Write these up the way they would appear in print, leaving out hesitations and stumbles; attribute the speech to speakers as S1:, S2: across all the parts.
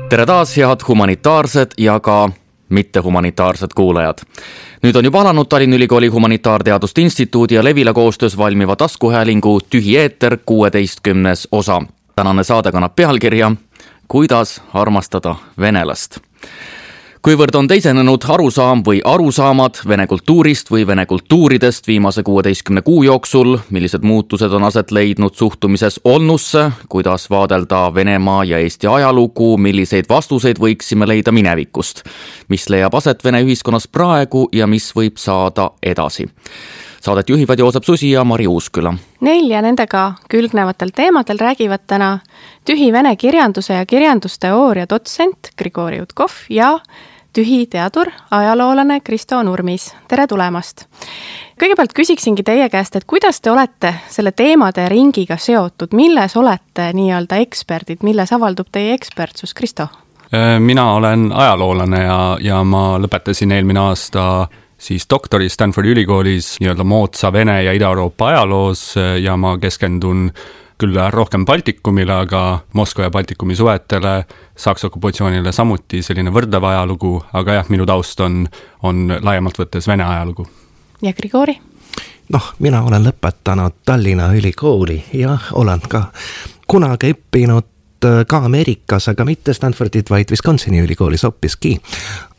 S1: Tere taas, head humanitaarsed ja ka mittehumanitaarsed kuulajad. Nüüd on juba alanud Tallinna Ülikooli Humanitaarteaduste Instituudi ja Levila koostöös valmiva taskuhäälingu Tühi eeter 16. osa. Tänane saade kannab pealkirja Kuidas armastada venelast. Kuivõrd on teisenenud arusaam või arusaamad vene kultuurist või vene kultuuridest viimase 16 kuu jooksul, millised muutused on aset leidnud suhtumises olnusse, kuidas vaadelda Venemaa ja Eesti ajalugu, milliseid vastuseid võiksime leida minevikust, mis leiab aset vene ühiskonnas praegu ja mis võib saada edasi. Saadet juhivad Joosep Susi ja Mari Uusküla.
S2: Neil ja nendega külgnevatel teemadel räägivad täna Tühi vene kirjanduse ja kirjandusteooria dotsent Grigori Utkov ja Tühi teadur, ajaloolane Kristo Nurmis. Tere tulemast! Kõigepealt küsiksingi teie käest, et kuidas te olete selle teemade ringiga seotud? Milles olete nii-öelda eksperdid? Milles avaldub teie ekspertsus, Kristo?
S3: Mina olen ajaloolane ja ma lõpetasin eelmine aasta siis doktori Stanfordi ülikoolis nii-öelda moodsa Vene ja Ida-Euroopa ajaloos ja ma keskendun küll rohkem Baltikumile, aga Moskva ja Baltikumi suhetele, Saksa okupatsioonile samuti selline võrdlev ajalugu, aga jah, minu taust on laiemalt võttes Vene ajalugu.
S2: Ja Grigori?
S4: Mina olen lõpetanud Tallinna ülikooli ja olen ka kunagi õppinud ka Ameerikas, aga mitte Stanfordit, vaid Wisconsini ülikoolis hoopiski.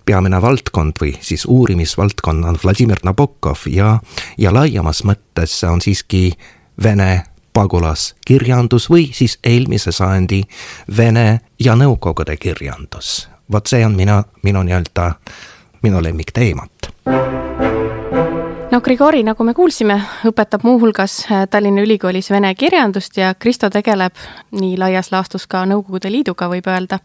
S4: Peamine valdkond või siis uurimisvaldkond on Vladimir Nabokov ja laiemas mõttes on siiski Vene pagulaskirjandus või siis eelmise sajandi Vene ja Nõukogude kirjandus. Vot see on minu lemmikteemat.
S2: Grigori, nagu me kuulsime, õpetab muuhulgas Tallinna Ülikoolis vene kirjandust ja Kristo tegeleb nii laias laastus ka Nõukogude Liiduga, võib öelda.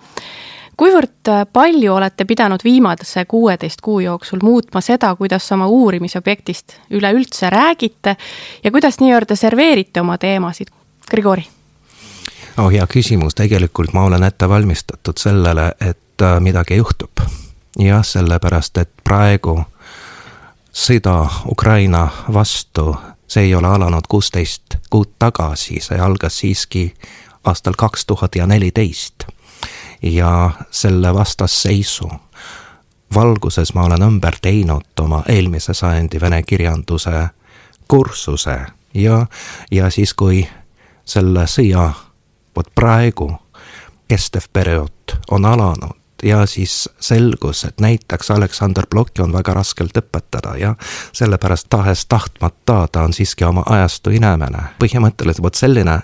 S2: Kuivõrd palju olete pidanud viimase 16 kuu jooksul muutma seda, kuidas oma uurimisobjektist üleüldse räägite ja kuidas nii-öelda serveerite oma teemasid? Grigori?
S4: Hea küsimus. Tegelikult ma olen ette valmistatud sellele, et midagi juhtub. Ja sellepärast, et praegu sõda Ukraina vastu, see ei ole alanud 16 kuud tagasi, see algas siiski aastal 2014. Ja selle vastasseisu valguses ma olen ümber teinud oma eelmise sajandi vene kirjanduse kursuse ja siis kui selle sõja praegu kestev periood on alanud ja siis selgus, et näiteks Aleksandr Blokki on väga raskelt õpetada ja sellepärast tahes tahtmata ta on siiski oma ajastu inimene. Põhimõtteliselt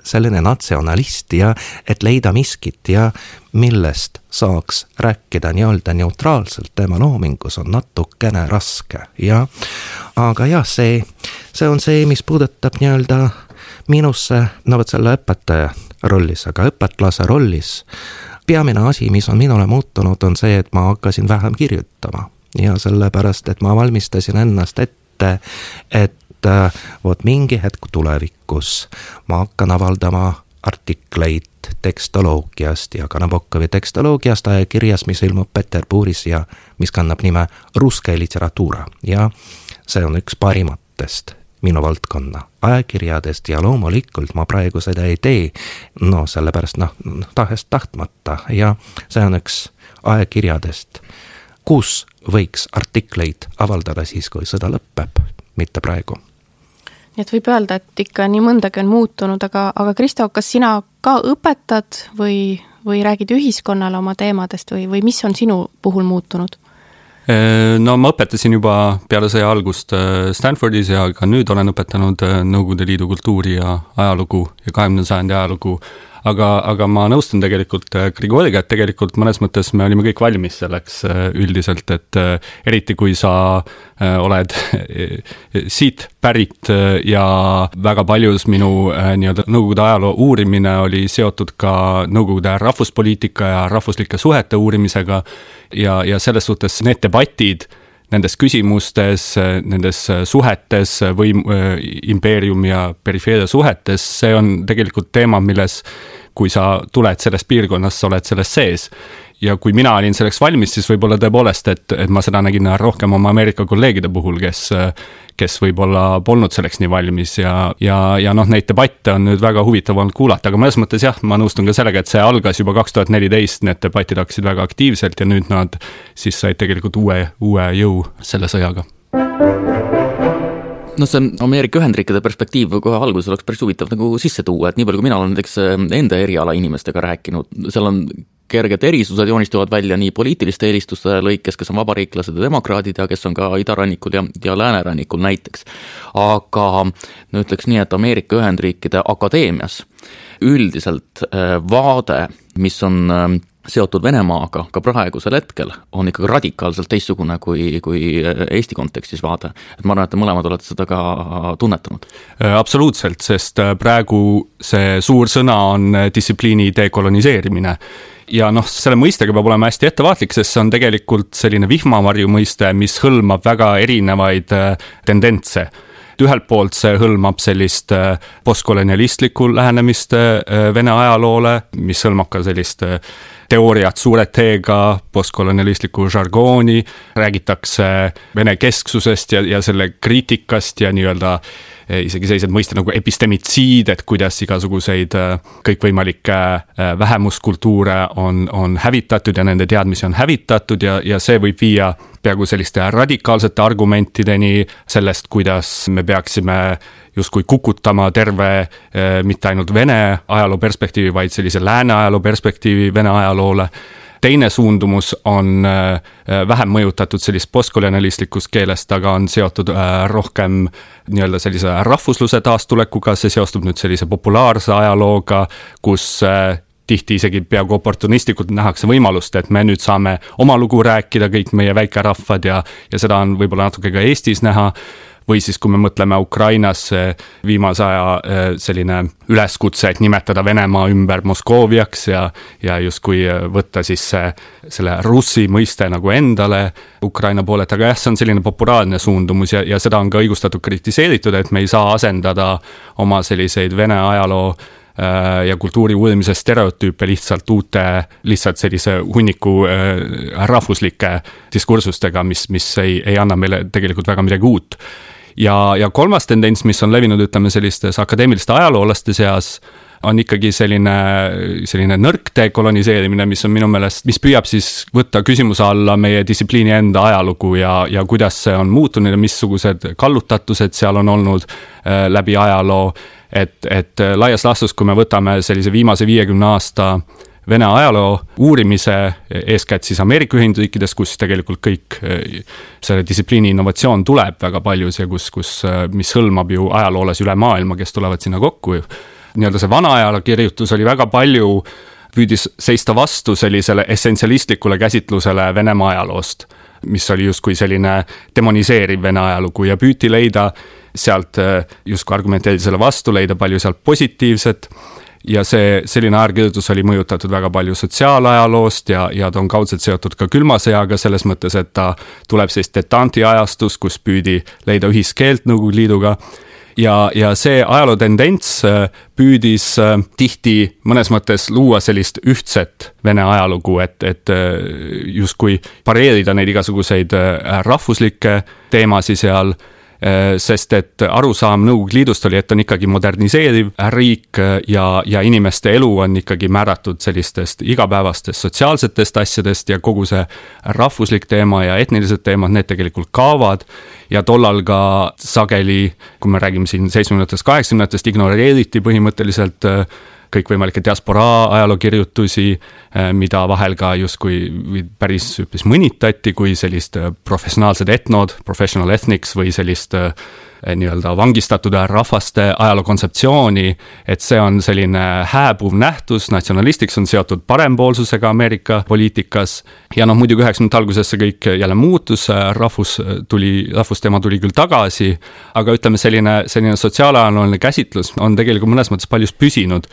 S4: selline natsionalist ja et leida miskit ja millest saaks rääkida nii-öelda neutraalselt tema loomingus on natukene raske. Aga jah, see on see, mis puudutab nii-öelda minusse, selle õpetaja rollis, aga õpetlase rollis. Peamine asi, mis on minule muutunud, on see, et ma hakkasin vähem kirjutama ja sellepärast, et ma valmistasin ennast ette, et mingi hetk tulevikus ma hakkan avaldama artikleid tekstoloogiast ja ka Nabokovi tekstoloogiast ajakirjas, mis ilmub Peterburis ja mis kannab nime Ruske literatuura ja see on üks parimatest minu valdkonna ajakirjadest ja loomulikult ma praegu seda ei tee, sellepärast tahes tahtmata ja see on üks ajakirjadest, kus võiks artikleid avaldada siis, kui sõda lõpeb, mitte praegu.
S2: Nii et võib öelda, et ikka nii mõndagi on muutunud, aga Kristo, kas sina ka õpetad või räägid ühiskonnale oma teemadest või mis on sinu puhul muutunud?
S3: Ma õpetasin juba peale sõja algust Stanfordis ja ka nüüd olen õpetanud Nõukogude Liidu kultuuri ja ajalugu ja 20. sajandi ajalugu, aga ma nõustun tegelikult Grigoriga, et tegelikult mõnes mõttes me olime kõik valmis selleks üldiselt, et eriti kui sa oled siit pärit ja väga paljus minu nii-öelda Nõukogude ajaloo uurimine oli seotud ka Nõukogude rahvuspoliitika ja rahvuslike suhete uurimisega ja selles suhtes need debatid nendes küsimustes, nendes suhetes või impeerium ja perifeeria suhetes, see on tegelikult teema, kui sa tuled sellest piirkonnast, sa oled selles sees. Ja kui mina olin selleks valmis, siis võib-olla tõepoolest, et ma seda nägin rohkem oma Ameerika kolleegide puhul, kes võib-olla polnud selleks nii valmis ja noh, neid debatte on nüüd väga huvitav olnud kuulata, aga mõnes mõttes jah, ma nõustun ka sellega, et see algas juba 2014, need debatid hakkasid väga aktiivselt ja nüüd nad siis said tegelikult uue jõu selle sõjaga.
S1: No see Ameerika Ühendriikide perspektiiv kohe alguses oleks päris huvitav nagu sisse tuua, et nii palju kui mina olen näiteks enda eriala inimestega rääkinud, seal on kerged erisused joonistuvad välja nii poliitiliste eelistuste lõikes, kes on vabariiklased ja demokraadid ja kes on ka idarannikul ja läänerannikul näiteks. Aga no ütleks nii, et Ameerika Ühendriikide akadeemias üldiselt vaade, mis on seotud Venemaaga ka praegusel hetkel, on ikkagi radikaalselt teistsugune kui Eesti kontekstis vaade. Et ma arvan, et te mõlemad olete seda ka tunnetanud.
S3: Absoluutselt, sest praegu see suur sõna on distsipliini dekoloniseerimine. Ja noh, selle mõistega peab olema hästi ettevaatlik, sest see on tegelikult selline vihmavarju mõiste, mis hõlmab väga erinevaid tendentse. Ühelt poolt see hõlmab sellist postkolonialistlikku lähenemist Vene ajaloole, mis hõlmab ka sellist teooriat suure T-ga, postkolonialistlikku žargooni, räägitakse Vene kesksusest ja selle kriitikast ja nii-öelda isegi sellised mõisted nagu epistemitsiid, et kuidas igasuguseid kõikvõimalikke vähemuskultuure on hävitatud ja nende teadmisi on hävitatud ja see võib viia peaaegu selliste radikaalsete argumentideni sellest, kuidas me peaksime justkui kukutama terve mitte ainult Vene ajaloo perspektiivi, vaid sellise lääne ajaloo perspektiivi Vene ajaloole. Teine suundumus on vähem mõjutatud sellist postkolonialistlikust keelest, aga on seotud rohkem nii-öelda sellise rahvusluse taastulekuga, see seostub nüüd sellise populaarse ajalooga, kus tihti isegi peaaegu oportunistlikult nähakse võimalust, et me nüüd saame oma lugu rääkida, kõik meie väikerahvad ja seda on võib-olla natuke ka Eestis näha. Või siis, kui me mõtleme Ukrainas viimase aja selline üleskutse, et nimetada Venemaa ümber Moskooviaks ja justkui võtta siis selle russi mõiste nagu endale Ukraina poolet, aga jah, see on selline populaarne suundumus ja seda on ka õigustatud kritiseeritud, et me ei saa asendada oma selliseid Vene ajaloo ja kultuuri uurimise stereotüüpe lihtsalt sellise hunniku rahvuslike diskursustega, mis ei anna meile tegelikult väga midagi uut. Ja kolmas tendents, mis on levinud, ütleme sellistes akadeemiliste ajaloolaste seas, on ikkagi selline nõrk dekoloniseerimine, mis on minu meelest, mis püüab siis võtta küsimuse alla meie distsipliini enda ajalugu ja kuidas see on muutunud ja missugused kallutatused seal on olnud läbi ajaloo, et laias laastus, kui me võtame sellise viimase 50 aasta Vene ajaloo uurimise, eeskätt siis Ameerika Ühendriikides, kus tegelikult kõik selle distsipliini innovatsioon tuleb väga paljus ja mis hõlmab ju ajaloolas üle maailma, kes tulevad sinna kokku. Nii-öelda see vana ajalokirjutus oli väga palju, püüdis seista vastu sellisele essentsialistlikule käsitlusele Venemaa ajaloost, mis oli justkui selline demoniseeriv Vene ajalugu ja püüti leida sealt justkui argumenteerida selle vastu, leida palju sealt positiivset. Ja selline ajakirjutus oli mõjutatud väga palju sotsiaalajaloost ja ta on kaudselt seotud ka külma sõjaga selles mõttes, et ta tuleb sellist detanti ajastus, kus püüdi leida ühiskeelt Nõukogude Liiduga. Ja see ajaloo tendents püüdis tihti mõnes mõttes luua sellist ühtset Vene ajalugu, et justkui pareerida neid igasuguseid rahvuslikke teemasid seal, sest et arusaam Nõukogude Liidust oli, et on ikkagi moderniseeriv riik ja inimeste elu on ikkagi määratud sellistest igapäevastest sotsiaalsetest asjadest ja kogu see rahvuslik teema ja etnilised teemad, need tegelikult kaovad ja tollal ka sageli, kui me räägime siin 70-ndast, 80-ndast, ignoreeriti põhimõtteliselt kõikvõimalikke diasporaa ajalookirjutusi, mida vahel ka justkui päris mõnitati kui sellist professionaalsed etnod, professional ethnics või sellist nii-öelda vangistatud rahvaste ajalookontseptsiooni, et see on selline hääbuv nähtus, natsionalistiks on seotud parempoolsusega Ameerika poliitikas ja muidugi 90 alguses see kõik jälle muutus, rahvusteema tuli küll tagasi, aga ütleme selline sotsiaalajalooline käsitlus on tegelikult mõnes mõttes paljus püsinud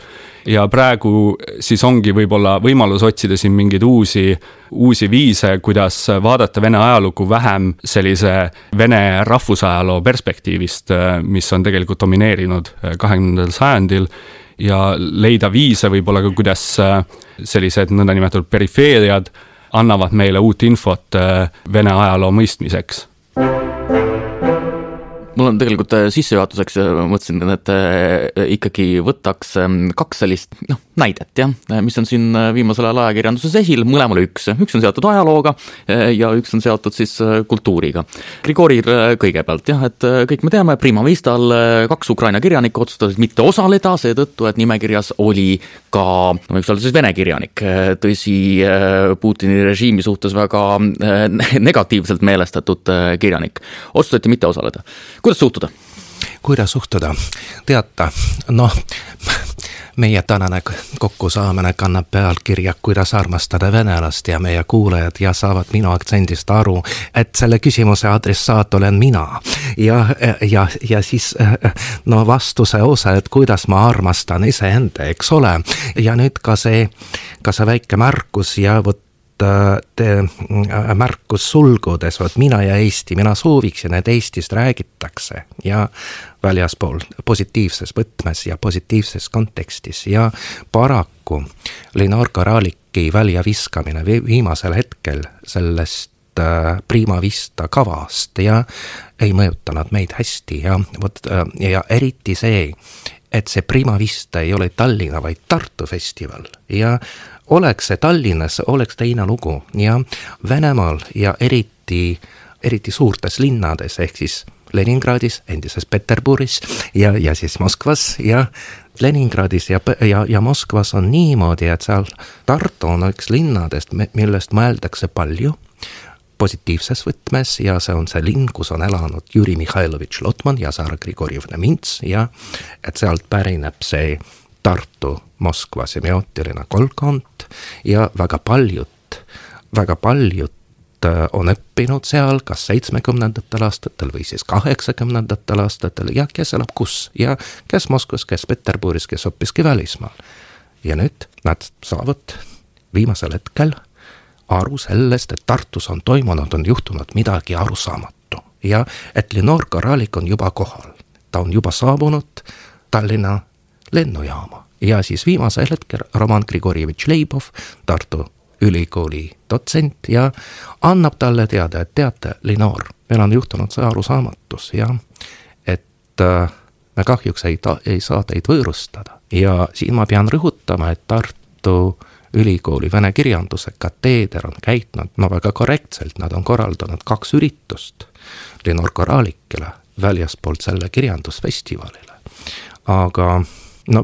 S3: ja praegu siis ongi võib-olla võimalus otsida siin mingeid uusi viise, kuidas vaadata Vene ajalugu vähem sellise Vene rahvusajaloo perspektiivist, mis on tegelikult domineerinud 20. sajandil ja leida viise võib-olla ka, kuidas sellised nõndanimetatud perifeeriad annavad meile uut infot Vene ajaloo mõistmiseks.
S1: Mul on tegelikult sissejuhatuseks mõtlesin, et ikkagi võtaks 2 sellist näidet, mis on siin viimasel ajal ajakirjanduses esil, mõlemal üks. Üks on seotud ajalooga ja üks on seotud siis kultuuriga. Grigoril kõigepealt, et kõik me teame, Prima Vistal 2 Ukraina kirjanikku otsustasid mitte osaleda, seetõttu, et nimekirjas oli ka, võiks olla siis Vene kirjanik, tõsi Putini režiimi suhtes väga negatiivselt meelestatud kirjanik. Otsustati mitte osaleda. Kuidas suhtuda?
S4: Kuidas suhtuda? Teata, meie tänane kokkusaamine kannab pealkirja Kuidas armastada venelast ja meie kuulajad ja saavad minu aktsendist aru, et selle küsimuse adressaat olen mina. Ja siis vastuse osa, et kuidas ma armastan iseenda, eks ole. Ja nüüd ka see väike märkus ja märkus sulgudes, mina ja Eesti, mina sooviksin, et Eestist räägitakse ja väljaspool positiivses võtmes ja positiivses kontekstis ja paraku Linor Koraliki väljaviskamine viimasel hetkel sellest Prima Vista kavast ja ei mõjutanud meid hästi ja eriti see, et see Prima Vista ei ole Tallinna, vaid Tartu festival ja oleks see Tallinnas, oleks teine lugu ja Venemaal ja eriti suurtes linnades, ehk siis Leningradis, endises Peterburis ja siis Moskvas ja Leningradis ja Moskvas on niimoodi, et seal Tartu on üks linnadest, millest mõeldakse palju positiivses võtmes ja see on see linn, kus on elanud Jüri Mihhailovitš Lotman ja Sara Grigorjevna Mints ja et sealt pärineb see Tartu-Moskva semiootiline kolkond ja väga paljud on õppinud seal kas 70. aastatel või siis 80. aastatel ja kes elab kus ja kes Moskvas, kes Peterburis, kes hoppiski välismaal. Ja nüüd nad saavad viimasel hetkel aru sellest, et Tartus on toimunud, on juhtunud midagi arusaamatu ja et Linor Koralik on juba kohal. Ta on juba saabunud Tallinna lennujaama ja siis viimasel hetkel Roman Grigorjevitš Leibov, Tartu ülikooli dotsent ja annab talle teada, et teate, Linor, meil on juhtunud see arusaamatus ja et me kahjuks ei saa teid võõrustada ja siin ma pean rõhutama, et Tartu ülikooli vene kirjanduse kateeder on käitnud väga korrektselt, nad on korraldanud 2 üritust Linor Koralikele väljaspoolt selle kirjandusfestivalile, aga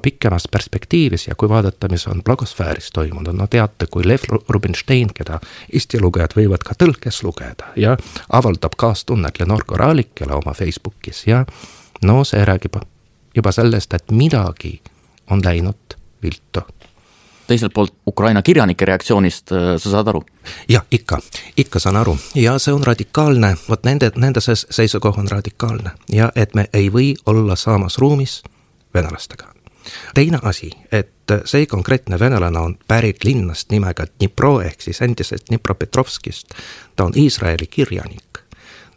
S4: pikemas perspektiivis ja kui vaadata, mis on blogosfääris toimunud, teate, kui Lev Rubinstein, keda Eesti lugejad võivad ka tõlkes lugeda ja avaldab kaastunnet Linor Koralikele oma Facebookis ja see räägib juba sellest, et midagi on läinud viltu.
S1: Teiselt poolt Ukraina kirjanike reaktsioonist sa saad aru?
S4: Jah, ikka saan aru ja see on radikaalne, nende seisukoht on radikaalne ja et me ei või olla samas ruumis venelastega. Teine asi, et see konkreetne venelane on pärit linnast nimega Dnipro ehk siis endisest Dnipropetrovskist. Ta on Iisraeli kirjanik.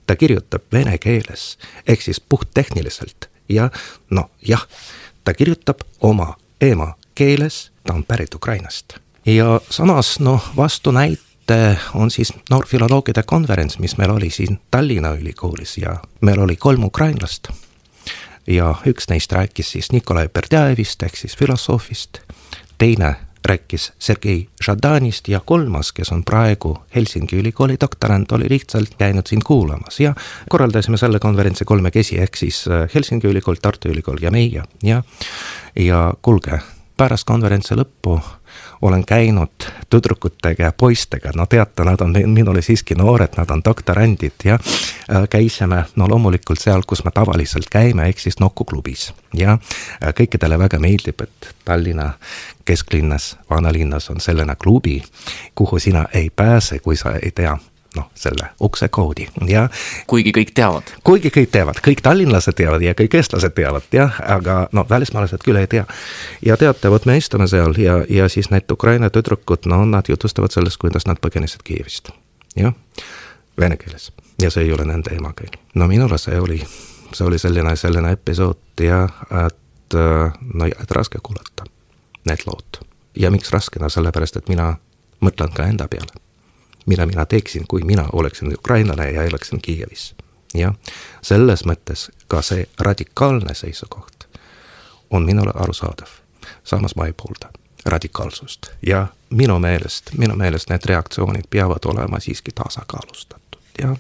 S4: Ta kirjutab vene keeles ehk siis puhttehniliselt ja ta kirjutab oma emakeeles, ta on pärit Ukrainast. Ja samas vastunäite on siis noorfiloloogide konverents, mis meil oli siin Tallinna ülikoolis ja meil oli 3 ukrainlast. Ja üks neist rääkis siis Nikolai Berdjaevist ehk siis filosoofist, teine rääkis Sergei Žadanist ja 3, kes on praegu Helsingi ülikooli doktorant, oli lihtsalt käinud siin kuulamas ja korraldasime selle konverentsi 3 ehk siis Helsingi ülikool, Tartu ülikool ja meie ja kuulge, pärast konverentsi lõppu olen käinud tüdrukutega ja poistega, teate, nad on minule siiski noored, nad on doktorandid ja käisime loomulikult seal, kus me tavaliselt käime, ehk siis Nokku klubis ja kõikidele väga meeldib, et Tallinna kesklinnas, vanalinnas on selline klubi, kuhu sina ei pääse, kui sa ei tea selle uksekoodi ja
S1: kuigi kõik teavad,
S4: kõik tallinlased teavad ja kõik eestlased teavad aga välismaalased küll ei tea ja teate, me istume seal ja siis need Ukraina tüdrukud, nad jutustavad sellest, kuidas nad põgenesid Kiievist vene keeles ja see ei ole nende emakeel. Minule see oli selline episood ja et no ja, et raske kuulata need lood. Ja miks raske? No sellepärast, et mina mõtlen ka enda peale. Mida mina teeksin, kui mina oleksin ukrainlane ja elaksin Kiievis. Ja selles mõttes ka see radikaalne seisukoht on minule arusaadav. Samas ma ei poolda radikaalsust. Ja minu meelest need reaktsioonid peavad olema siiski tasakaalustatud. Ja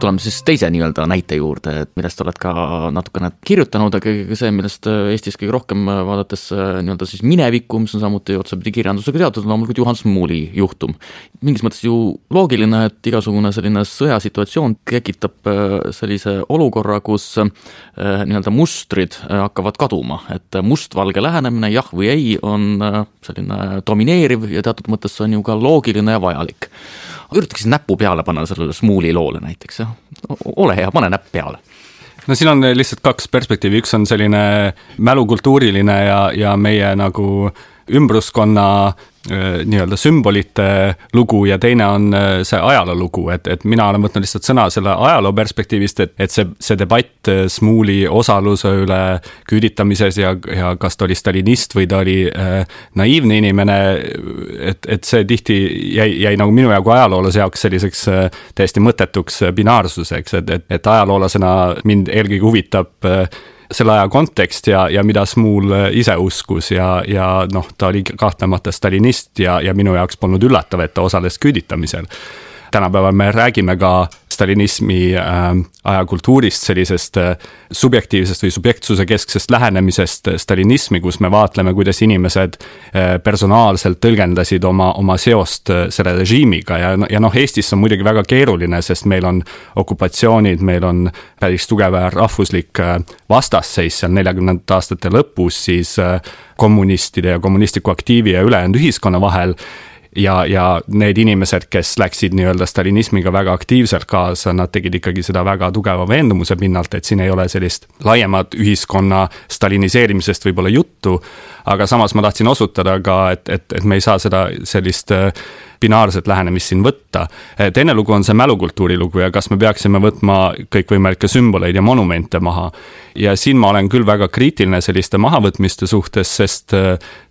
S1: tuleme siis teise nii-öelda näite juurde, et millest oled ka natukene kirjutanud, aga see, millest Eestis kõige rohkem vaadates nii-öelda siis minevikku, mis on samuti otsapidi kirjandusega teatud, on loomulikult Juhan Smuuli juhtum. Mingis mõttes ju loogiline, et igasugune selline sõjasituatsioon tekitab sellise olukorra, kus nii-öelda mustrid hakkavad kaduma, et mustvalge lähenemine, jah või ei, on selline domineeriv ja teatud mõttes on ju ka loogiline ja vajalik. Üritaksin näppu peale panna sellele Smuuli loole näiteks. Ole hea, pane näpp peale.
S3: No siin on lihtsalt kaks perspektiivi. Üks on selline mälukultuuriline ja meie nagu ümbruskonna nii-öelda sümbolite lugu ja teine on see ajaloo lugu, et mina olen võtnud lihtsalt sõna selle ajaloo perspektiivist, et see debatt Smuuli osaluse üle küüditamises ja kas ta oli stalinist või ta oli naiivne inimene, et see tihti jäi nagu minu jagu ajaloolase jaoks selliseks täiesti mõttetuks binaarsuseks, et ajaloolasena mind eelkõige huvitab selle aja kontekst ja mida Smuul ise uskus ja noh, ta oli kahtlemata stalinist ja minu jaoks polnud üllatav, et ta osales küüditamisel. Tänapäeval me räägime ka stalinismi ajakultuurist, sellisest subjektiivsest või subjektsuse kesksest lähenemisest stalinismi, kus me vaatleme, kuidas inimesed personaalselt tõlgendasid oma seost selle režiimiga ja noh, Eestis on muidugi väga keeruline, sest meil on okupatsioonid, meil on päris tugev rahvuslik vastasseis seal 40. aastate lõpus siis kommunistide ja kommunistliku aktiivi ja ülejäänud ühiskonna vahel. Ja need inimesed, kes läksid nii-öelda stalinismiga väga aktiivselt kaasa, nad tegid ikkagi seda väga tugeva veendumuse pinnalt, et siin ei ole sellist laiemat ühiskonna staliniseerimisest võib-olla juttu, aga samas ma tahtsin osutada ka, et me ei saa seda sellist binaarset lähenemist siin võtta. Teine lugu on see mälukultuuri lugu ja kas me peaksime võtma kõikvõimalikke sümboleid ja monumente maha. Ja siin ma olen küll väga kriitiline selliste mahavõtmiste suhtes, sest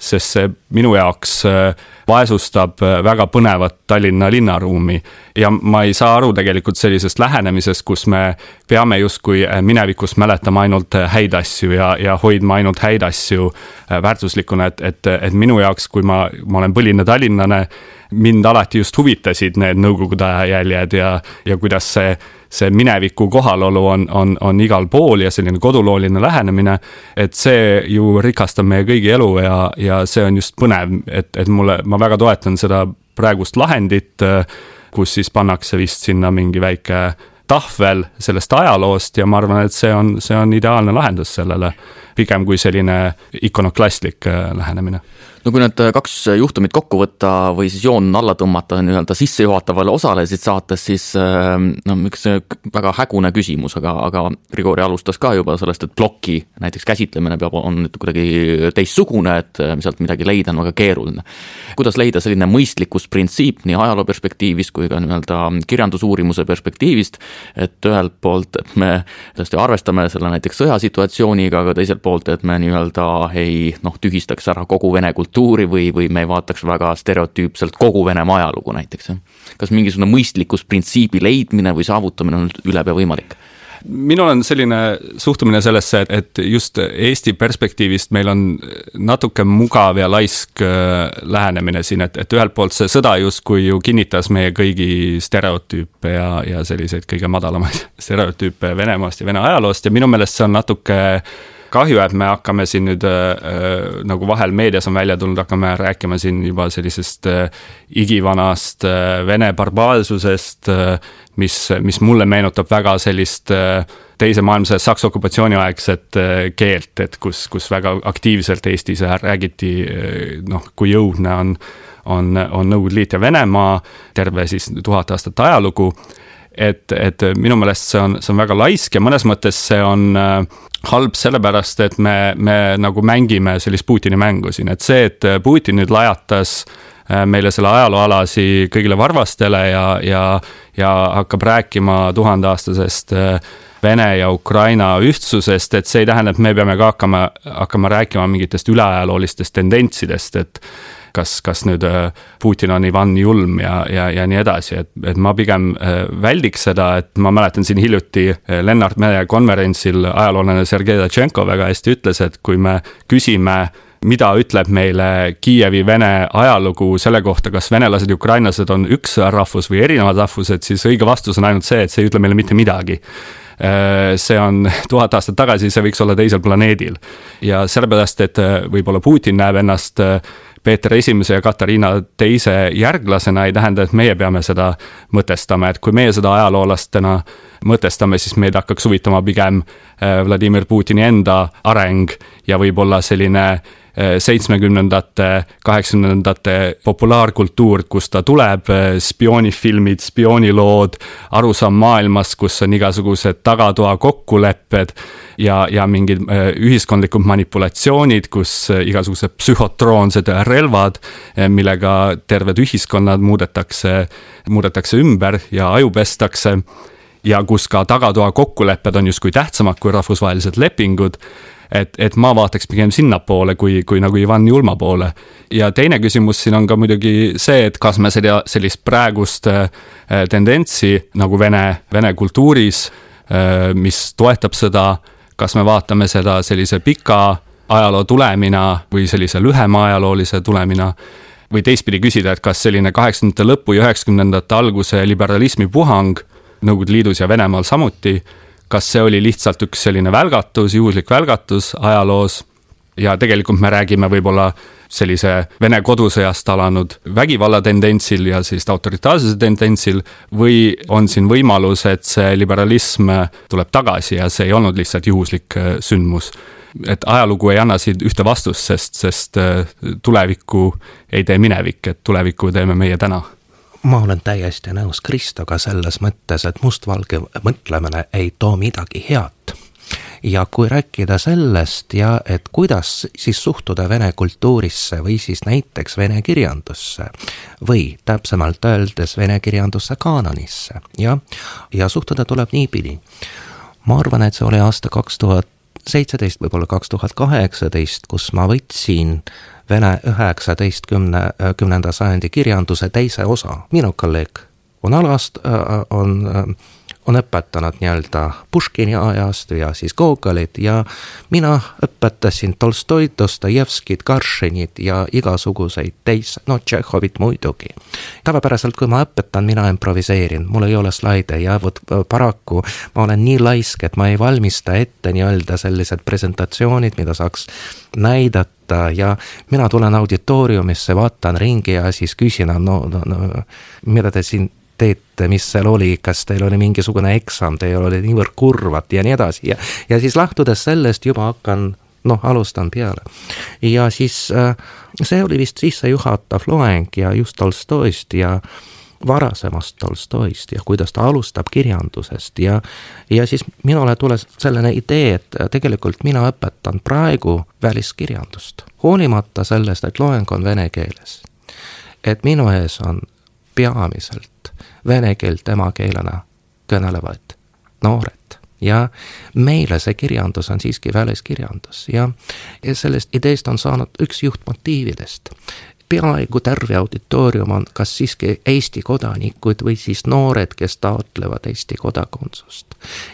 S3: see minu jaoks vaesustab väga põnevat Tallinna linnaruumi. Ja ma ei saa aru tegelikult sellisest lähenemisest, kus me peame justkui minevikus mäletama ainult häid asju ja hoidma ainult häid asju väärtuslikuna, et minu jaoks, kui ma olen põline tallinnane, mind alati just huvitasid need nõukogude aja jäljed ja kuidas see mineviku kohalolu on igal pool ja selline kodulooline lähenemine, et see ju rikastab meie kõigi elu ja see on just põnev, et ma väga toetan seda praegust lahendit, kus siis pannakse vist sinna mingi väike tahvel sellest ajaloost ja ma arvan, et see on ideaalne lahendus sellele, pigem kui selline ikonoklastlik lähenemine.
S1: No kui need kaks juhtumit kokku võtta või siis joon alla tõmmata nii-öelda sissejuhatavale osalesid saates, siis üks väga hägune küsimus, aga Grigori alustas ka juba sellest, et ploki näiteks käsitlemine on kuidagi teistsugune, et sealt midagi leida on väga keeruline. Kuidas leida selline mõistlikkusprintsiip nii ajaloo perspektiivist kui ka nii-öelda kirjandusuurimuse perspektiivist, et ühelt poolt et me tõesti arvestame selle näiteks sõjasituatsiooniga, aga teiselt poolt, et me nii-öelda ei tühistaks ära kogu vene kultuuri või me ei vaataks väga stereotüüpselt kogu Venemaa ajalugu näiteks. Kas mingisugune mõistlikkusprintsiibi leidmine või saavutamine on ülepea võimalik?
S3: Minul on selline suhtumine sellesse, et just Eesti perspektiivist meil on natuke mugav ja laisk lähenemine siin, et ühelt poolt see sõda justkui ju kinnitas meie kõigi stereotüüpe ja selliseid kõige madalamaid stereotüüpe Venemaast ja Vene ajaloost ja minu meelest see on natuke kahju, et me hakkame siin nüüd nagu vahel meedias on välja tulnud, hakkame rääkima siin juba sellisest igivanast Vene barbaarsusest, mis mulle meenutab väga sellist teise maailmasõja Saksa okupatsiooniaegset keelt, et kus väga aktiivselt Eestis räägiti, kui jõudne on Nõukogude Liit ja Venemaa, terve siis 1000 aastat ajalugu, et minu meelest see on väga laisk ja mõnes mõttes see on halb sellepärast, et me nagu mängime sellist Putini mängu siin, et see, et Putin nüüd lajatas meile selle ajalooalasi kõigile varvastele ja hakkab rääkima 1000-aastasest Vene ja Ukraina ühtsusest, et see ei tähenda, et me peame ka hakkama rääkima mingitest üleajaloolistest tendentsidest, et kas nüüd Putin on Ivan Julm ja nii edasi, et ma pigem väldiks seda, et ma mäletan siin hiljuti Lennart Mere konverentsil ajaloolane Sergei Datšenko väga hästi ütles, et kui me küsime, mida ütleb meile Kiievi Vene ajalugu selle kohta, kas venelased ja ukrainlased on üks rahvus või erinevad rahvused, siis õige vastus on ainult see, et see ei ütle meile mitte midagi. See on 1000 aastat tagasi, see võiks olla teisel planeedil. Ja sellepärast, et võib-olla Putin näeb ennast Peeter I ja Katariina II järglasena, ei tähenda, et meie peame seda mõtestama, et kui meie seda ajaloolastena mõtestame, siis meid hakkaks huvitama pigem Vladimir Putini enda areng ja võib-olla selline 70-ndate, 80-ndate populaarkultuur, kus ta tuleb, spioonifilmid, spioonilood, arusaam maailmas, kus on igasugused tagatoa kokkulepped ja mingid ühiskondlikud manipulatsioonid, kus igasugused psühhotroonsed relvad, millega terved ühiskonnad muudetakse ümber ja ajupestakse ja kus ka tagatoa kokkulepped on justkui tähtsamad kui rahvusvahelised lepingud, et ma vaataks pigem sinnapoole kui nagu Ivan Julma poole. Ja teine küsimus siin on ka muidugi see, et kas me sellist praegust tendentsi nagu Vene kultuuris, mis toetab seda, kas me vaatame seda sellise pika ajaloo tulemina või sellise lühema ajaloolise tulemina, või teistpidi küsida, et kas selline 80-ndate lõpu ja 90-ndate alguse liberalismi puhang Nõukogude Liidus ja Venemaal samuti, kas see oli lihtsalt üks selline välgatus, juhuslik välgatus ajaloos ja tegelikult me räägime võib-olla sellise Vene kodusõjast alanud vägivallatendentsil ja sellist autoritaarsuse tendentsil või on siin võimalus, et see liberalism tuleb tagasi ja see ei olnud lihtsalt juhuslik sündmus. Et ajalugu ei anna siin ühte vastust, sest tulevikku ei tee minevik, et tulevikku teeme meie täna.
S4: Ma olen täiesti nõus Kristoga selles mõttes, et mustvalge mõtlemine ei too midagi head. Ja kui rääkida sellest ja et kuidas siis suhtuda vene kultuurisse või siis näiteks vene kirjandusse või täpsemalt öeldes vene kirjanduse kaanonisse ja suhtuda tuleb niipidi. Ma arvan, et see oli aasta 2017, võib-olla 2018, kus ma võtsin Vene 19. sajandi kirjanduse teise osa. Minu kolleeg on alast, on õpetanud nii-öelda Puškini ajast ja siis Gogolit ja mina õpetasin Tolstoid, Dostojevskit, Karšinit ja igasuguseid Tšehhovit muidugi. Tavapäraselt, kui ma õpetan, mina improviseerin, mul ei ole slaide ja paraku ma olen nii laisk, et ma ei valmista ette nii-öelda sellised presentatsioonid, mida saaks näidata ja mina tulen auditooriumisse, vaatan ringi ja siis küsin, mida te siin teete, mis seal oli, kas teil oli mingisugune eksam, teil oli niivõrd kurvad ja nii edasi ja siis lähtudes sellest juba alustan peale. Ja siis see oli vist sissejuhatav loeng ja just Tolstoist ja varasemast Tolstoist ja kuidas ta alustab kirjandusest ja siis minule tuleb selline idee, et tegelikult mina õpetan praegu väliskirjandust, hoolimata sellest, et loeng on vene keeles. Et minu ees on peamiselt vene keelt emakeelena kõnelevad noored ja meile see kirjandus on siiski väliskirjandus ja sellest ideest on saanud üks juhtmotiividest. Peaaegu terve auditoorium on kas siiski Eesti kodanikud või siis noored, kes taotlevad Eesti kodakondsust.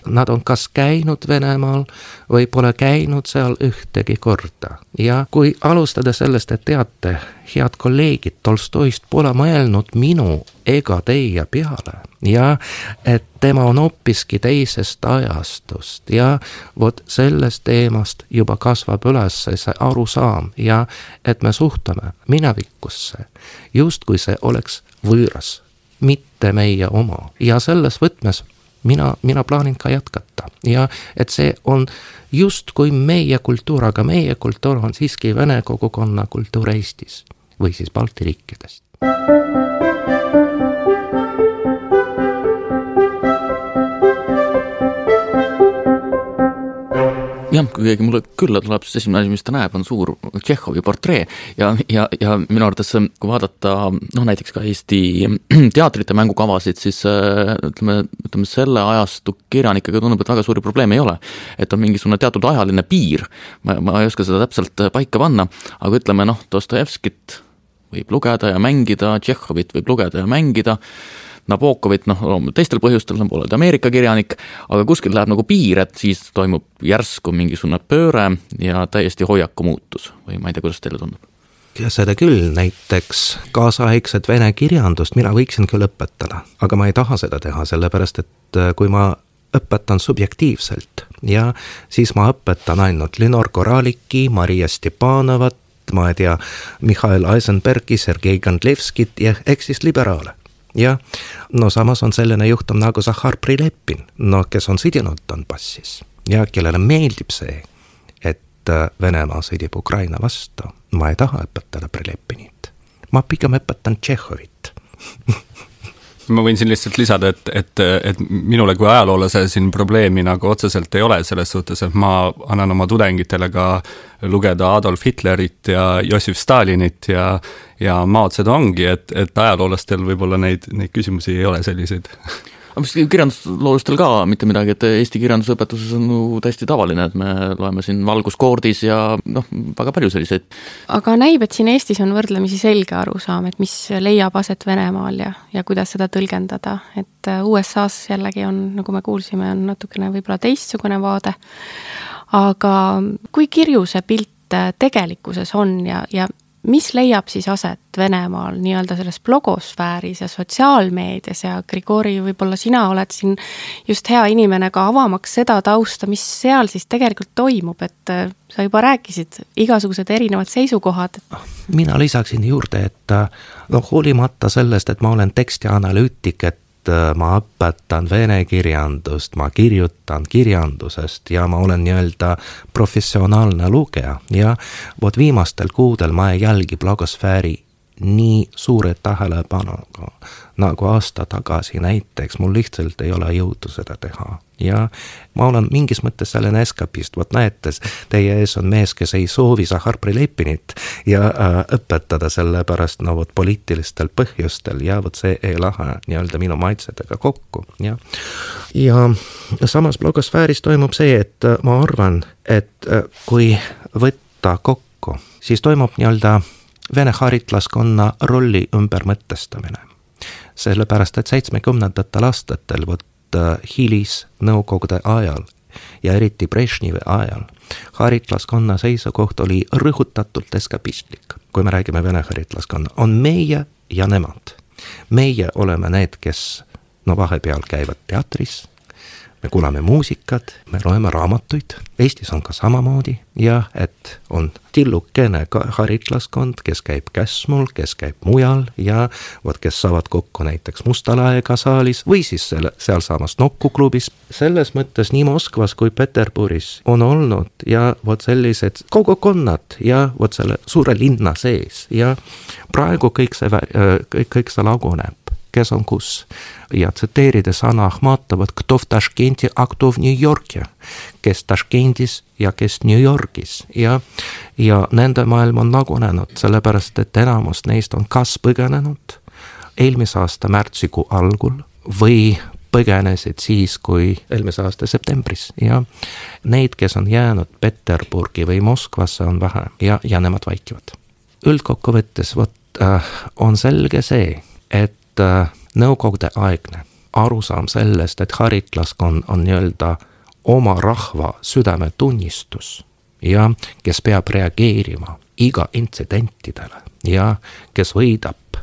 S4: Nad on kas käinud Venemaal või pole käinud seal ühtegi korda. Ja kui alustada sellest, et teate, head kolleegid, Tolstoist pole mõelnud minu ega teie peale ja et tema on hoopiski teisest ajastust ja vot sellest teemast juba kasvab üles see arusaam ja et me suhtume minevikusse just kui see oleks võõras, mitte meie oma ja selles võtmes mina plaanin ka jätkata ja et see on just kui meie kultuur, aga meie kultuur on siiski vene kogukonna kultuur Eestis või siis Balti riikidest.
S1: jah, kui keegi mulle külla tuleb, siis esimene asi, mis ta näeb, on suur Tšehhovi portree ja minu arvates, kui vaadata näiteks ka Eesti teatrite mängukavasid, siis ütleme selle ajastu kirjanikega tundub, et väga suuri probleeme ei ole. Et on mingisugune teatud ajaline piir, ma ei oska seda täpselt paika panna, aga ütleme Dostojevskit võib lugeda ja mängida, Tšehhovit võib lugeda ja mängida, Nabokovit, teistel põhjustel on pooled Ameerika kirjanik, aga kuskil läheb nagu piir, et siis toimub järsku mingisugune pööre ja täiesti hoiaku muutus või ma ei tea, kuidas teile tundub?
S4: Ja seda küll, näiteks kaasaegset vene kirjandust mina võiksin küll õpetada, aga ma ei taha seda teha, sellepärast et kui ma õpetan subjektiivselt ja siis ma õpetan ainult Lenor Koraliki, Maria Stepanovat, ma ei tea, Mihhail Eisenbergi, Sergei Gandlevskit ja eks siis liberaale. Ja samas on selline juhtum nagu Zahhar Prilepin, kes on sõdinud Donbassis ja kellele meeldib see, et Venemaa sõdib Ukraina vastu. Ma ei taha õpetada Prilepinit, ma pigem õpetan Tšehhovit.
S3: Ma võin siin lihtsalt lisada, et minule kui ajaloolase siin probleemi nagu otseselt ei ole selles suhtes, et ma annan oma tudengitele ka lugeda Adolf Hitlerit ja Jossif Stalinit ja Mao Zedongi, et ajaloolastel võib-olla neid küsimusi ei ole selliseid.
S1: Aga mis kirjandusloolastel ka mitte midagi, et Eesti kirjandusõpetuses on täiesti tavaline, et me loeme siin Valguskoordis ja väga palju selliseid.
S2: Aga näib, et siin Eestis on võrdlemisi selge arusaam, et mis leiab aset Venemaal ja kuidas seda tõlgendada. Et USA's jällegi on, nagu me kuulsime, on natukene võib-olla teistsugune vaade. Aga kui kirju see pilt tegelikkuses on ja mis leiab siis aset Venemaal nii-öelda selles blogosfääris ja sotsiaalmeedias ja Grigori, võib-olla sina oled siin just hea inimene ka avamaks seda tausta, mis seal siis tegelikult toimub, et sa juba rääkisid igasugused erinevad seisukohad.
S4: Mina lisaksin juurde, et hoolimata sellest, et ma olen tekstianalüütik, et ma õpetan vene kirjandust, ma kirjutan kirjandusest ja ma olen nii-öelda professionaalne lugeja ja viimastel kuudel ma ei jälgi blogosfääri nii suure tähelepanuga nagu aasta tagasi näiteks, mul lihtsalt ei ole jõudu seda teha. Ja ma olen mingis mõttes selline eskapist, näetes, teie ees on mees, kes ei soovi Zahhar Prilepinit ja õpetada selle pärast poliitilistel põhjustel ja see ei lähe nii-öelda minu maitsedega kokku. Ja samas blogosfääris toimub see, et ma arvan, et kui võtta kokku, siis toimub nii-öelda vene haritlaskonna rolli ümbermõtestamine. Sellepärast, et 70. aastatel hilis Nõukogude ajal ja eriti Brežnevi ajal haritlaskonna seisukoht oli rõhutatult eskapistlik. Kui me räägime vene haritlaskonna, on meie ja nemad. Meie oleme need, kes vahepeal käivad teatris, me kuulame muusikat, me loeme raamatuid, Eestis on ka samamoodi ja et on tillukene haritlaskond, kes käib Käsmul, kes käib mujal ja kes saavad kokku näiteks Mustalaega saalis või siis seal saamas Nokku klubis. Selles mõttes nii Moskvas kui Peterburis on olnud ja sellised kogukonnad ja selle suure linna sees ja praegu kõik see laguneb. Kes on kus. Ja tsiteerides Anna Ahmatovat, kto v Taškenti, a kto v New Yorki, kes Taškentis ja kes New Yorgis. Ja nende maailm on lagunenud, sellepärast, et enamus neist on kas põgenenud eelmise aasta märtsikuu algul või põgenesid siis, kui eelmise aasta septembris. Ja neid, kes on jäänud Peterburgi või Moskvasse, on vähe ja nemad vaikivad. Üldkokkuvõttes on selge see, et nõukogude aegne arusaam sellest, et haritlaskond on nii-öelda oma rahva südametunnistus ja kes peab reageerima iga intsidentidele ja kes võidab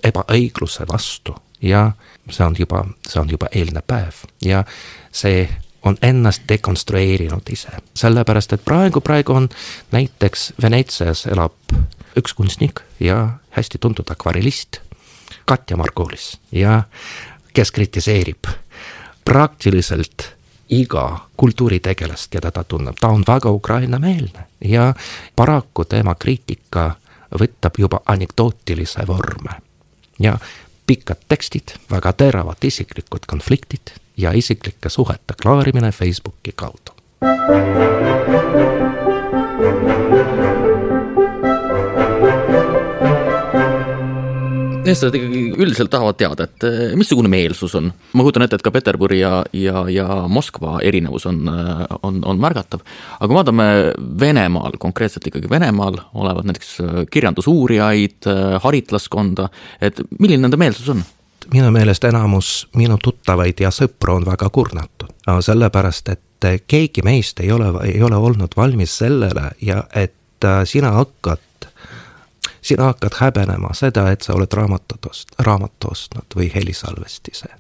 S4: ebaõigluse vastu ja see on juba eelne päev ja see on ennast dekonstrueerinud ise. Sellepärast, et praegu on näiteks Venetsias elab üks kunstnik ja hästi tuntud akvarellist Katja Margulis ja kes kritiseerib praktiliselt iga kultuuritegelast, keda ta tunneb. Ta on väga ukrainameelne ja paraku tema kriitika võtab juba anekdootilise vorme. Ja pikad tekstid, väga teravad isiklikud konfliktid ja isiklike suhete klaarimine Facebooki kaudu.
S1: eestlased ikkagi üldiselt tahavad teada, et missugune meelsus on. Ma kujutan ette, et ka Peterburi ja Moskva erinevus on märgatav. Aga vaatame Venemaal, konkreetselt ikkagi Venemaal olevat näiteks kirjandusuurijaid, haritlaskonda, et milline nende meelsus on?
S4: Minu meelest enamus minu tuttavaid ja sõpru on väga kurnatud. Sellepärast, et keegi meist ei ole olnud valmis sellele ja et sina hakkad häbenema seda, et sa oled raamat ostnud või helisalvestise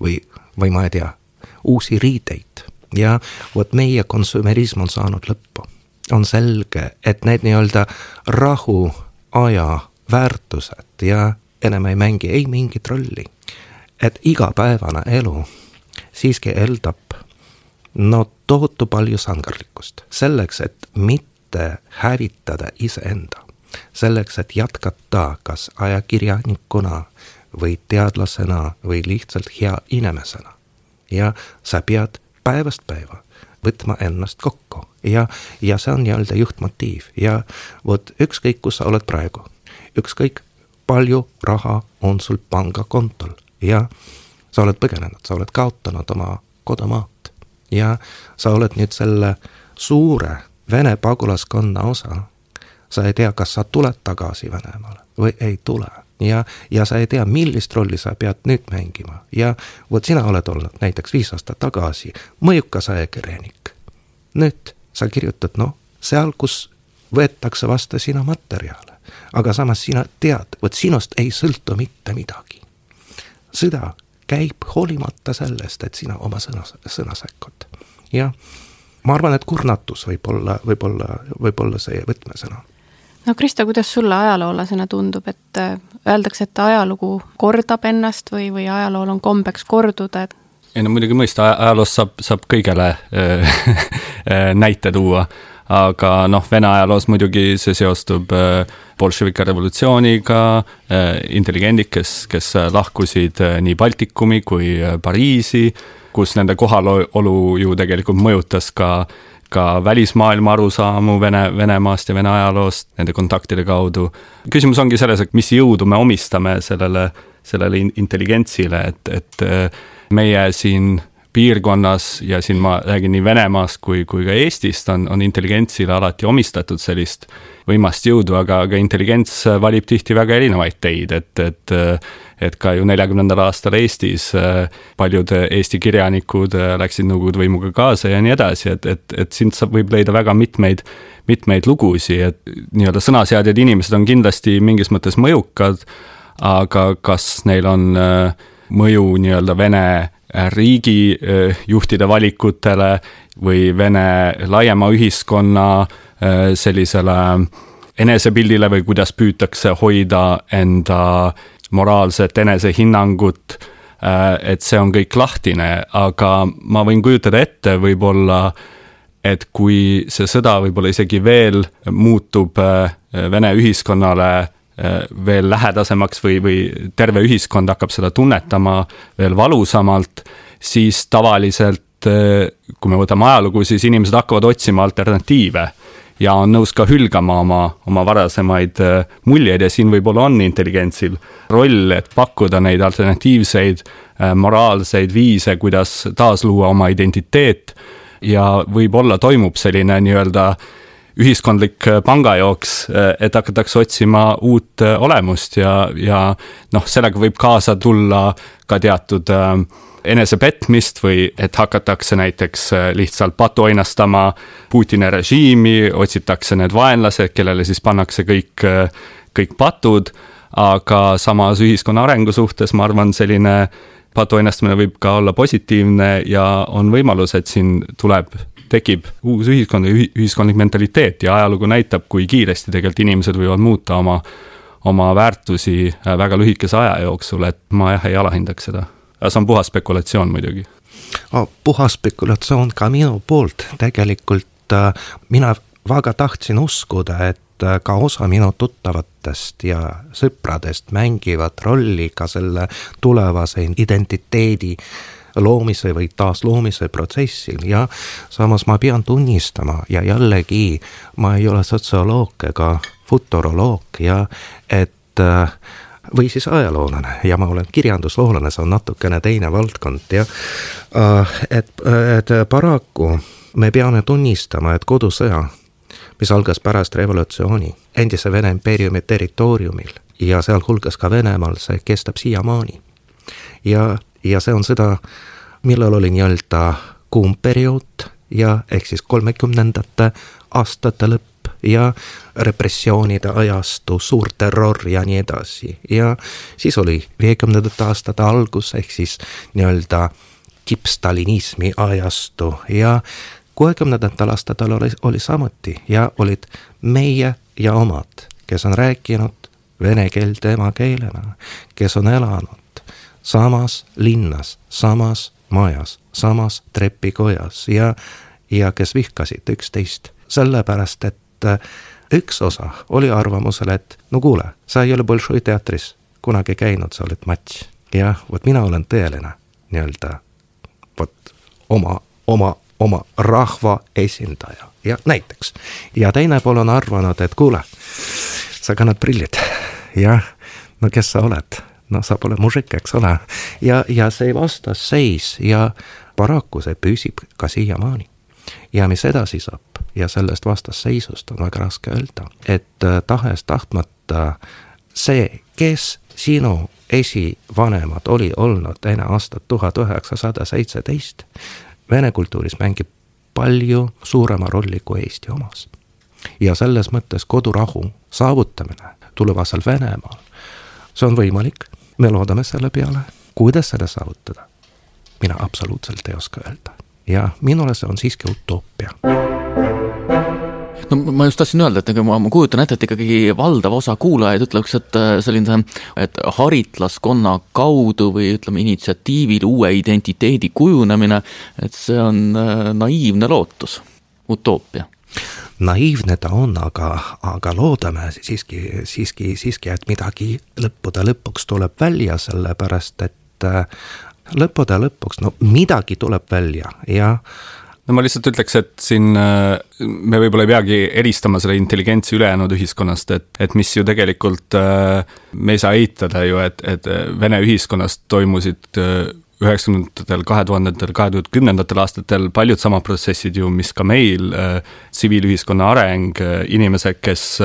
S4: või ma ei tea, uusi riideid. Ja vot meie konsumerism on saanud lõppu. On selge, et need nii-öelda rahu aja väärtused ja enam ei mängi ei mingit rolli. Et igapäevane elu siiski eeldab tohutu palju sangarlikkust. Selleks, et mitte hävitada iseenda. Selleks, et jätkata kas ajakirjanikuna või teadlasena või lihtsalt hea inimesena. Ja sa pead päevast päeva võtma ennast kokku. Ja see on nii-öelda juhtmotiiv. Ja vot ükskõik, kus sa oled praegu. Ükskõik palju raha on sul pangakontol ja sa oled põgenenud, sa oled kaotanud oma kodumaad ja sa oled nüüd selle suure Vene pagulaskonna osa. Sa ei tea, kas sa tuled tagasi Venemaale või ei tule ja sa ei tea, millist rolli sa pead nüüd mängima ja vot sina oled olnud näiteks 5 aastat tagasi mõjukas ajakirjanik. Nüüd sa kirjutad seal, kus võetakse vastu sina materjale. Aga samas sina tead, vot sinust ei sõltu mitte midagi. Sõda käib hoolimata sellest, et sina oma sõna säkkod. Ja ma arvan, et kurnatus võib olla see võtmesõna.
S2: No Kristo, kuidas sulle ajaloolasena tundub, et öeldakse, et ajalugu kordab ennast või ajalool on kombeks korduda?
S3: Ei no muidugi mõista, ajaloost saab kõigele näite tuua. Aga Vene ajaloos muidugi see seostub bolševika revolutsiooniga, intelligendid, kes lahkusid nii Baltikumi kui Pariisi, kus nende kohalolu ju tegelikult mõjutas ka välismaailma arusaamu Venemaast ja Vene ajaloost nende kontaktide kaudu. Küsimus ongi selles, et mis jõudu me omistame sellele intelligentsile, et meie siin piirkonnas ja siin ma räägin nii Venemaast kui ka Eestist on intelligentsile alati omistatud sellist võimast jõudu, aga intelligents valib tihti väga erinevaid teid, et ka ju 40. aastal Eestis paljud Eesti kirjanikud läksid Nõukogude võimuga kaasa ja nii edasi, et siin võib leida väga mitmeid lugusi, et nii-öelda sõnaseadjad inimesed on kindlasti mingis mõttes mõjukad, aga kas neil on mõju nii-öelda Vene riigi juhtide valikutele või Vene laiema ühiskonna sellisele enesepildile või kuidas püütakse hoida enda moraalset enesehinnangut, et see on kõik lahtine, aga ma võin kujutada ette võib-olla, et kui see sõda võib-olla isegi veel muutub Vene ühiskonnale veel lähedasemaks või terve ühiskond hakkab seda tunnetama veel valusamalt, siis tavaliselt, kui me võtame ajalugu, siis inimesed hakkavad otsima alternatiive ja on nõus ka hülgama oma varasemaid muljeid ja siin võib-olla on intelligentsil roll, et pakkuda neid alternatiivseid moraalseid viise, kuidas taasluua oma identiteet ja võib-olla toimub selline nii-öelda ühiskondlik pangajooks, et hakatakse otsima uut olemust ja sellega võib kaasa tulla ka teatud enesepetmist või et hakatakse näiteks lihtsalt patuoinastama Putini režiimi, otsitakse need vaenlased, kellele siis pannakse kõik patud, aga samas ühiskonna arengu suhtes ma arvan, selline patuoinastamine võib ka olla positiivne ja on võimalus, et siin tekib uus ühiskond ja ühiskondlik mentaliteet ja ajalugu näitab, kui kiiresti tegelikult inimesed võivad muuta oma väärtusi väga lühikese aja jooksul, et ma ei alahindaks seda. See on puhas spekulatsioon muidugi.
S4: Puhas spekulatsioon ka minu poolt. Tegelikult mina väga tahtsin uskuda, et ka osa minu tuttavatest ja sõpradest mängivad rolli ka selle tulevase identiteedi loomise või taasloomise protsessil ja samas ma pean tunnistama ja jällegi ma ei ole sotsioloog ega futuroloog ja et või siis ajaloolane ja ma olen kirjandusloolane, see on natukene teine valdkond ja et paraku me peame tunnistama, et kodusõja, mis algas pärast revolutsiooni endise Vene impeeriumi territooriumil ja sealhulgas ka Venemaal, see kestab siiamaani. Ja see on seda, millal oli nii-öelda kuum periood ja ehk siis 30ndate aastate lõpp ja repressioonide ajastu, suur terror ja nii edasi. Ja siis oli 50ndate aastate algus ehk siis nii-öelda tippstalinismi ajastu ja 60ndate aastatel oli samuti ja olid meie ja omad, kes on rääkinud vene keelt emakeelena, kes on elanud samas linnas, samas majas, samas trepikojas ja kes vihkasid üksteist. Sellepärast, et üks osa oli arvamusel, et no kuule, sa ei ole Bolšoi teatris kunagi käinud, sa oled matš. Ja vot mina olen tõeline nii-öelda vot oma rahva esindaja ja näiteks. Ja teine pool on arvanud, et kuule, sa kannad prillid ja no kes sa oled? No sa pole mužik, eks ole. Ja see vastasseis ja paraku see püsib ka siiamaani. Ja mis edasi saab ja sellest vastasseisust on väga raske öelda, et tahes tahtmata see, kes sinu esivanemad oli olnud enne aastat 1917, vene kultuuris mängib palju suurema rolli kui Eesti omas. Ja selles mõttes kodurahu saavutamine tulevasel Venemaal, see on võimalik, me loodame selle peale, kuidas seda saavutada. Mina absoluutselt ei oska öelda. Ja minule see on siiski utoopia.
S1: No ma just tahtsin öelda, et ma kujutan ette, et ikkagi valdav osa kuulajaid ütleks, et selline et haritlaskonna kaudu või ütleme initsiatiivil uue identiteedi kujunemine, et see on naiivne lootus, utoopia.
S4: Naiivne ta on, aga loodame siiski, et midagi lõpuks tuleb välja, sellepärast, et lõpuks, no midagi tuleb välja ja
S3: no ma lihtsalt ütleks, et siin me võib-olla ei peagi eristama selle intelligentsi ülejäänud ühiskonnast, et mis ju tegelikult me ei saa eitada ju, et Vene ühiskonnast toimusid 90ndatel, 2000ndatel, 2010ndatel aastatel paljud sama protsessid ju, mis ka meil, tsiviilühiskonna areng, inimesed, kes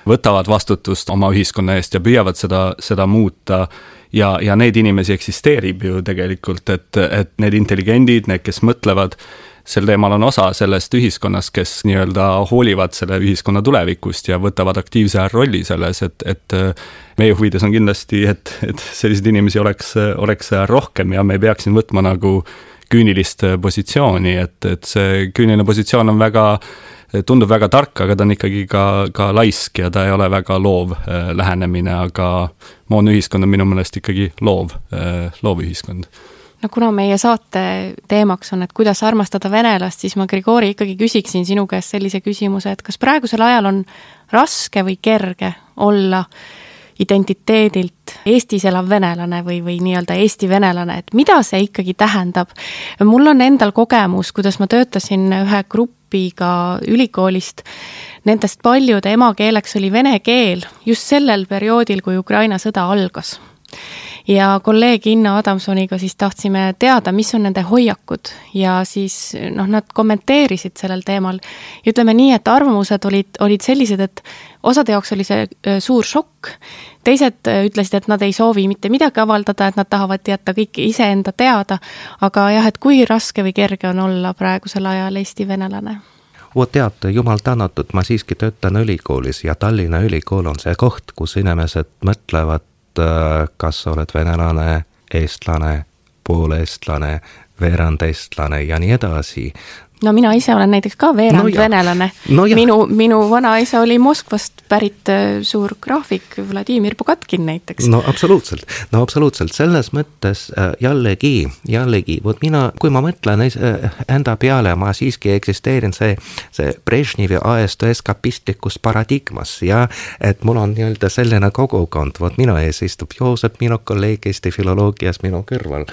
S3: võtavad vastutust oma ühiskonna eest ja püüavad seda muuta ja need inimesi eksisteerib ju tegelikult, et need intelligendid, need, kes mõtlevad, sel teemal on osa sellest ühiskonnast, kes nii-öelda hoolivad selle ühiskonna tulevikust ja võtavad aktiivse rolli selles, et meie huvides on kindlasti, et selliseid inimesi oleks rohkem ja me ei peaks siin võtma nagu küünilist positsiooni, et see küüniline positsioon on tundub väga tark, aga ta on ikkagi ka laisk ja ta ei ole väga loov lähenemine, aga moodne ühiskond on minu meelest ikkagi loov ühiskond.
S2: No kuna meie saate teemaks on, et kuidas armastada venelast, siis ma, Grigori, ikkagi küsiksin sinu käest sellise küsimuse, et kas praegusel ajal on raske või kerge olla identiteedilt Eestis elav venelane või nii-öelda Eesti venelane, et mida see ikkagi tähendab? Mul on endal kogemus, kuidas ma töötasin ühe grupiga ülikoolist, nendest paljude emakeeleks oli vene keel just sellel perioodil, kui Ukraina sõda algas. Ja kolleeg Inna Adamsoniga siis tahtsime teada, mis on nende hoiakud ja siis nad kommenteerisid sellel teemal. Ja ütleme nii, et arvamused olid sellised, et osade jaoks oli see suur šokk. Teised ütlesid, et nad ei soovi mitte midagi avaldada, et nad tahavad jätta kõik iseenda teada, aga jah, et kui raske või kerge on olla praegusel ajal Eesti venelane?
S4: Teate, jumal tänatud, ma siiski töötan ülikoolis ja Tallinna ülikool on see koht, kus inimesed mõtlevad, kas sa oled venelane, eestlane, pooleestlane, veerand eestlane ja nii edasi.
S2: No mina ise olen näiteks ka veerand venelane. Minu vanaisa oli Moskvast pärit suur graafik, Vladimir Pugatkin näiteks.
S4: No absoluutselt. Selles mõttes jällegi, vot mina, kui ma mõtlen enda peale, ma siiski eksisteerin see Brežnevi ajastu eskapistlikus paradigmas ja et mul on nii-öelda selline kogukond, vot minu ees istub Joosep, minu kolleeg Eesti filoloogias, minu kõrval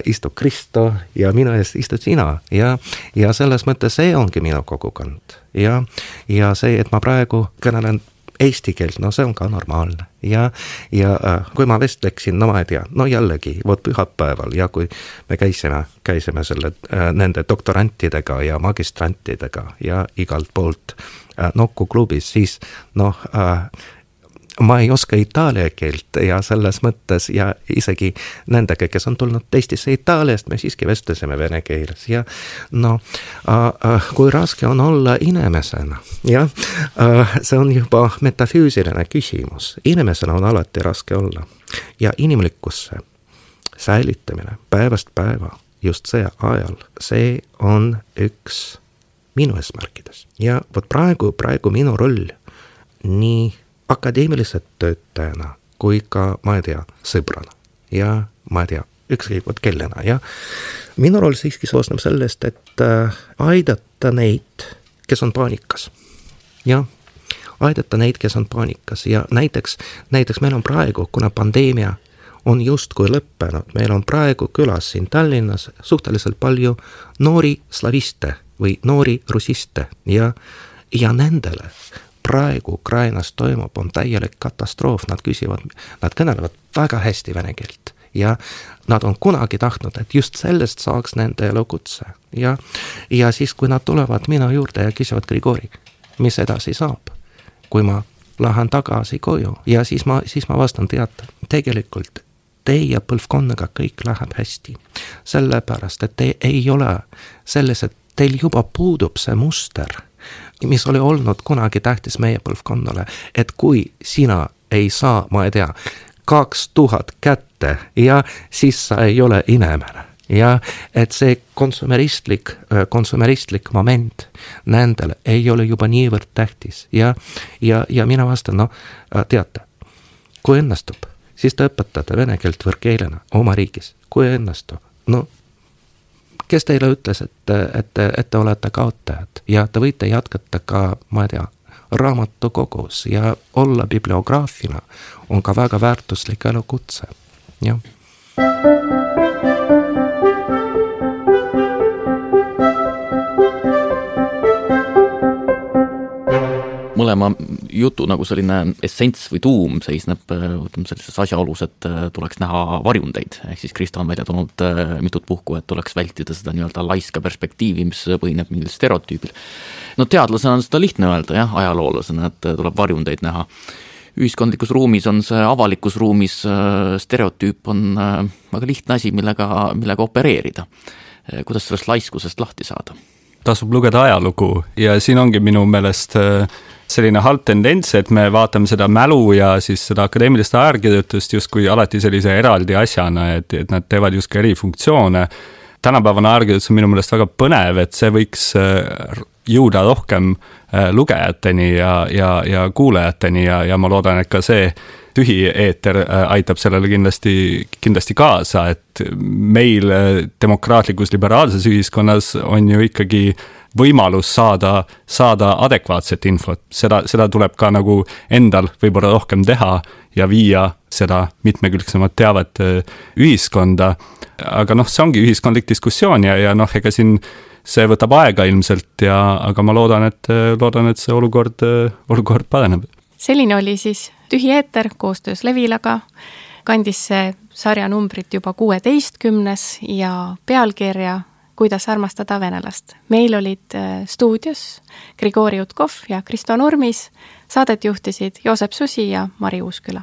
S4: istub Kristo ja minu ees istud sina ja selles mõttes see ongi minu kogukond ja see, et ma praegu kõnelen eesti keelt, no see on ka normaalne. Ja kui ma vestleksin, no ma ei tea, no jällegi, vot pühapäeval ja kui me käisime nende doktorantidega ja magistrantidega ja igalt poolt Nokku klubis, siis ma ei oska itaalia keelt ja selles mõttes ja isegi nendega, kes on tulnud Eestisse Itaaliast, me siiski vestlesime vene keeles ja kui raske on olla inimesena ja see on juba metafüüsiline küsimus. Inimesena on alati raske olla ja inimlikkusse säilitamine päevast päeva just see ajal, see on üks minu eesmärkides. Ja vot praegu minu roll nii akadeemiliselt töötajana kui ka, ma ei tea, sõbrana ja ma ei tea, ükskõik kellena ja minu roll siiski soosneb sellest, et aidata neid, kes on paanikas ja aidata neid, kes on paanikas ja näiteks meil on praegu, kuna pandeemia on justkui lõppenud, meil on praegu külas siin Tallinnas suhteliselt palju noori slaviste või noori russiste ja nendele praegu Ukrainas toimub, on täielik katastroof, nad kõnelevad väga hästi vene keelt ja nad on kunagi tahtnud, et just sellest saaks nende elukutse ja siis, kui nad tulevad minu juurde ja küsivad Grigori, mis edasi saab, kui ma lähen tagasi koju ja siis ma vastan, teate, tegelikult teie põlvkonnaga kõik läheb hästi, sellepärast, et te ei ole sellised, teil juba puudub see muster, mis oli olnud kunagi tähtis meie põlvkonnale, et kui sina ei saa, ma ei tea, 2000 kätte ja siis sa ei ole inimene ja et see konsumeristlik moment nendele ei ole juba niivõrd tähtis ja mina vastan, teate, kui õnnestub, siis te õpetate vene keelt võõrkeelena oma riigis, kui õnnestub, kes teile ütles, et te olete kaotajad ja te võite jätkata ka, ma ei tea, raamatukogus ja olla bibliograafina on ka väga väärtuslik elukutse, jah.
S1: Mõlema jutu nagu selline essents või tuum seisneb sellises asjaolus, et tuleks näha varjundeid. Ehk siis Kristo on välja tulnud mitut puhku, et tuleks vältida seda nii-öelda laiska perspektiivi, mis põhineb mingil stereotüübil. No teadlasena on seda lihtne öelda, jah, ajaloolasena, et tuleb varjundeid näha. Ühiskondlikus ruumis on see avalikus ruumis stereotüüp on väga lihtne asi, millega opereerida. Kuidas sellest laiskusest lahti saada?
S3: Tasub lugeda ajalugu ja siin ongi minu meelest selline halb tendents, et me vaatame seda mälu ja siis seda akadeemilist ajakirjutust justkui alati sellise eraldi asjana, et nad teevad justkui eri funktsioone. Tänapäevane ajakirjutus on minu meelest väga põnev, et see võiks jõuda rohkem lugejateni ja kuulajateni ja ma loodan, et ka see tühi eeter aitab sellele kindlasti kaasa, et meil demokraatlikus liberaalses ühiskonnas on ju ikkagi võimalus saada adekvaatset infot. Seda tuleb ka nagu endal võib-olla rohkem teha ja viia seda mitmekülgsemat teavet ühiskonda. Aga see ongi ühiskondlik diskussioon ja ega siin see võtab aega ilmselt aga ma loodan, et see olukord paraneb.
S2: Selline oli siis Tühi eeter koostöös Levilaga. Kandis see sarja numbrit juba 16 ja pealkirja Kuidas armastada venelast. Meil olid stuudios Grigori Utkov ja Kristo Nurmis. Saadet juhtisid Joosep Susi ja Mari Uusküla.